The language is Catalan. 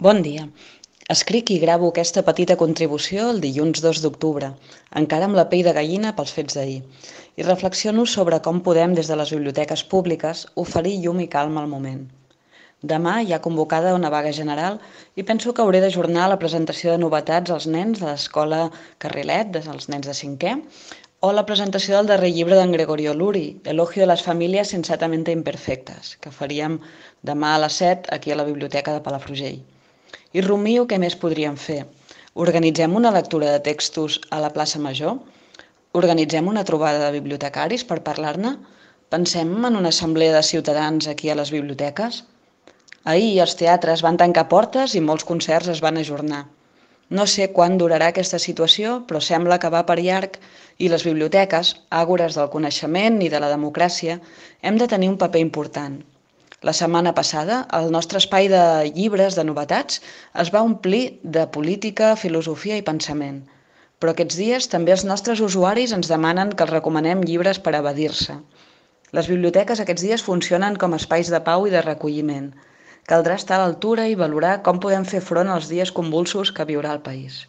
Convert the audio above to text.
Bon dia. Escric i gravo aquesta petita contribució el dilluns 2 d'octubre, encara amb la pell de gallina pels fets d'ahir, i reflexiono sobre com podem, des de les biblioteques públiques, oferir llum i calma al moment. Demà hi ha convocada una vaga general i penso que hauré d'ajornar la presentació de novetats als nens de l'escola Carrilet, als nens de 5è, o la presentació del darrer llibre d'en Gregorio Luri, Elogio de las familias sensatamente imperfectes, que faríem demà a les 7 aquí a la biblioteca de Palafrugell. I rumio què més podríem fer. Organitzem una lectura de textos a la plaça Major? Organitzem una trobada de bibliotecaris per parlar-ne? Pensem en una assemblea de ciutadans aquí a les biblioteques? Ahir els teatres van tancar portes i molts concerts es van ajornar. No sé quan durarà aquesta situació, però sembla que va per llarg i les biblioteques, àgores del coneixement i de la democràcia, hem de tenir un paper important. La setmana passada, el nostre espai de llibres de novetats es va omplir de política, filosofia i pensament. Però aquests dies també els nostres usuaris ens demanen que els recomanem llibres per evadir-se. Les biblioteques aquests dies funcionen com espais de pau i de recolliment. Caldrà estar a l'altura i valorar com podem fer front als dies convulsos que viurà el país.